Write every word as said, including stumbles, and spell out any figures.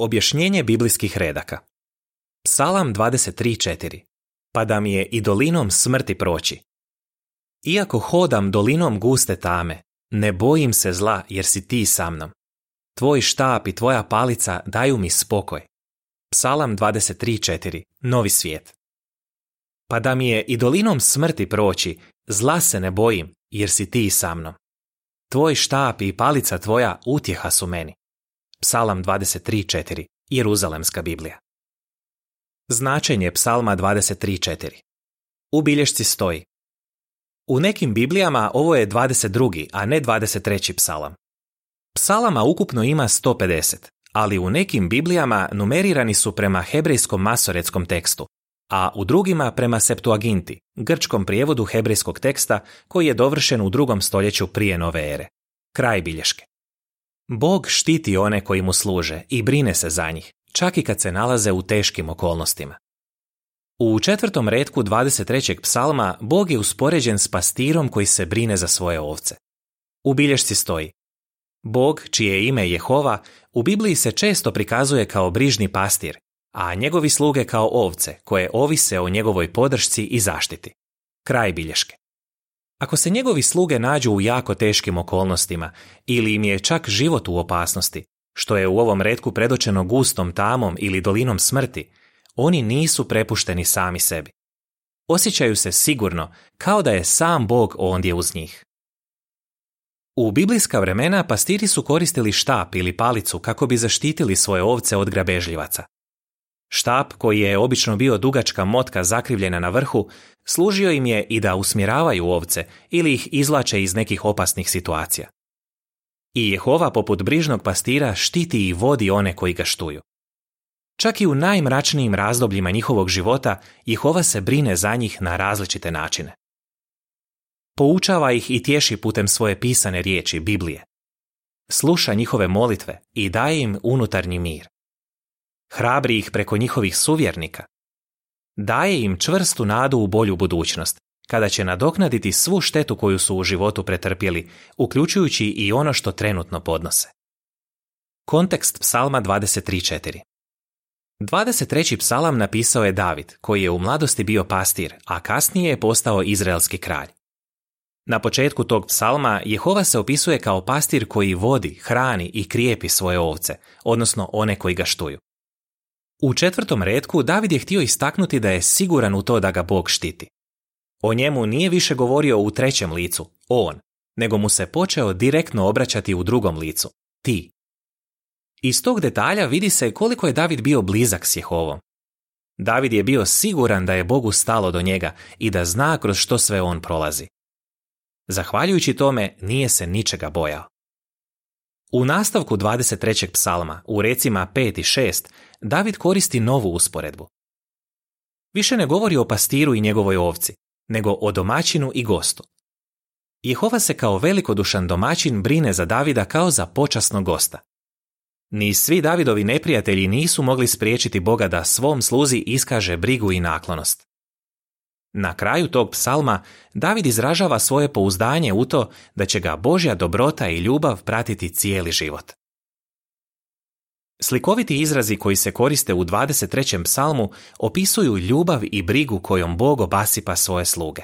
Objašnjenje biblijskih redaka. Psalam dvadeset tri četiri. Pa da mi je i dolinom smrti proći. Iako hodam dolinom guste tame, ne bojim se zla jer si ti sa mnom. Tvoj štap i tvoja palica daju mi spokoj. Psalam dvadeset tri četiri. Novi svijet. Pa da mi je i dolinom smrti proći, zla se ne bojim jer si ti sa mnom. Tvoj štap i palica tvoja utjeha su meni. Psalam dvadeset tri četiri. Jeruzalemska Biblija. Značenje Psalma dvadeset tri četiri. U bilješci stoji: u nekim Biblijama ovo je dvadeset drugi, a ne dvadeset treći psalam. Psalama ukupno ima sto pedeset, ali u nekim Biblijama numerirani su prema hebrejskom masoretskom tekstu, a u drugima prema Septuaginti, grčkom prijevodu hebrejskog teksta koji je dovršen u drugom stoljeću prije nove ere. Kraj bilješke. Bog štiti one koji mu služe i brine se za njih, čak i kad se nalaze u teškim okolnostima. U četvrtom retku dvadeset trećeg psalma Bog je uspoređen s pastirom koji se brine za svoje ovce. U bilješci stoji: Bog, čije je ime Jehova, u Bibliji se često prikazuje kao brižni pastir, a njegovi sluge kao ovce koje ovise o njegovoj podršci i zaštiti. Kraj bilješke. Ako se njegovi sluge nađu u jako teškim okolnostima ili im je čak život u opasnosti, što je u ovom retku predočeno gustom tamom ili dolinom smrti, oni nisu prepušteni sami sebi. Osjećaju se sigurno kao da je sam Bog ondje uz njih. U biblijska vremena pastiri su koristili štap ili palicu kako bi zaštitili svoje ovce od grabežljivaca. Štap, koji je obično bio dugačka motka zakrivljena na vrhu, služio im je i da usmjeravaju ovce ili ih izvlače iz nekih opasnih situacija. I Jehova poput brižnog pastira štiti i vodi one koji ga štuju. Čak i u najmračnijim razdobljima njihovog života Jehova se brine za njih na različite načine. Poučava ih i tješi putem svoje pisane riječi, Biblije. Sluša njihove molitve i daje im unutarnji mir. Hrabri ih preko njihovih suvjernika. Daje im čvrstu nadu u bolju budućnost, kada će nadoknaditi svu štetu koju su u životu pretrpjeli, uključujući i ono što trenutno podnose. Kontekst psalma dvadeset tri četiri. dvadeset treći psalam napisao je David, koji je u mladosti bio pastir, a kasnije je postao izraelski kralj. Na početku tog psalma Jehova se opisuje kao pastir koji vodi, hrani i krijepi svoje ovce, odnosno one koji ga štuju. U četvrtom retku David je htio istaknuti da je siguran u to da ga Bog štiti. O njemu nije više govorio u trećem licu, on, nego mu se počeo direktno obraćati u drugom licu, ti. Iz tog detalja vidi se koliko je David bio blizak s Jehovom. David je bio siguran da je Bogu stalo do njega i da zna kroz što sve on prolazi. Zahvaljujući tome nije se ničega bojao. U nastavku dvadeset trećeg psalma, u recima pet i šest, David koristi novu usporedbu. Više ne govori o pastiru i njegovoj ovci, nego o domaćinu i gostu. Jehova se kao velikodušan domaćin brine za Davida kao za počasnog gosta. Ni svi Davidovi neprijatelji nisu mogli spriječiti Boga da svom sluzi iskaže brigu i naklonost. Na kraju tog psalma David izražava svoje pouzdanje u to da će ga Božja dobrota i ljubav pratiti cijeli život. Slikoviti izrazi koji se koriste u dvadeset trećem psalmu opisuju ljubav i brigu kojom Bog obasipa svoje sluge.